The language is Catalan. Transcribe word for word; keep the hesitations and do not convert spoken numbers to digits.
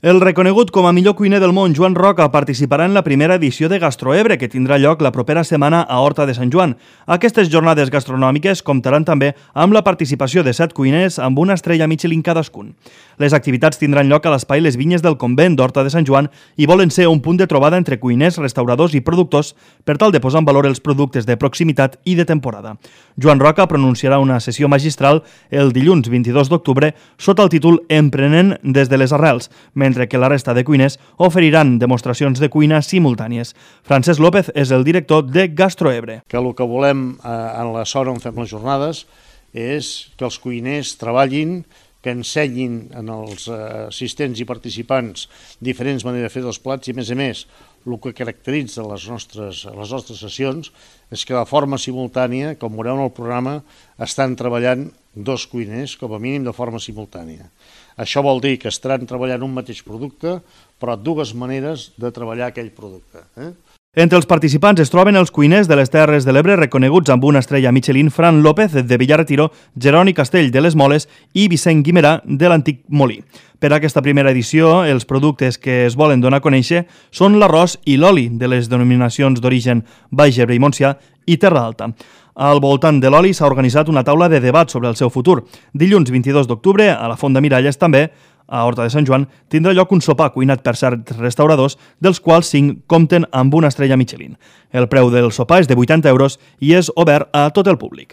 El reconegut com a millor cuiner del món, Joan Roca, participarà en la primera edició de Gastroebre, que tindrà lloc la propera setmana a Horta de Sant Joan. Aquestes jornades gastronòmiques comptaran també amb la participació de set cuiners amb una estrella Michelin cadascun. Les activitats tindran lloc a l'espai Les Vinyes del Convent d'Horta de Sant Joan i volen ser un punt de trobada entre cuiners, restauradors i productors per tal de posar en valor els productes de proximitat i de temporada. Joan Roca pronunciarà una sessió magistral el dilluns vint-i-dos d'octubre sota el títol Emprenent des de les arrels, mentre que la resta de cuiners oferiran demostracions de cuina simultànies. Francesc López és el director de Gastroebre. Que el que volem eh, en la zona on fem les jornades és que els cuiners treballin, que ensenyin als assistents i participants diferents maneres de fer els plats i, a més a més, el que caracteritza les nostres, les nostres sessions és que de forma simultània, com veureu en el programa, estan treballant dos cuiners, com a mínim de forma simultània. Això vol dir que estaran treballant un mateix producte, però dues maneres de treballar aquell producte. Eh? Entre els participants es troben els cuiners de les Terres de l'Ebre reconeguts amb una estrella Michelin, Fran López de Villaretiro, Jeroni Castell de les Moles i Vicent Guimerà de l'Antic Molí. Per a aquesta primera edició, els productes que es volen donar a conèixer són l'arròs i l'oli de les denominacions d'origen Baix Ebre i Montsià i Terra Alta. Al voltant de l'oli s'ha organitzat una taula de debat sobre el seu futur. Dilluns vint-i-dos d'octubre, a la Font de Miralles també, a Horta de Sant Joan, tindrà lloc un sopar cuinat per certs restauradors, dels quals cinc compten amb una estrella Michelin. El preu del sopar és de vuitanta euros i és obert a tot el públic.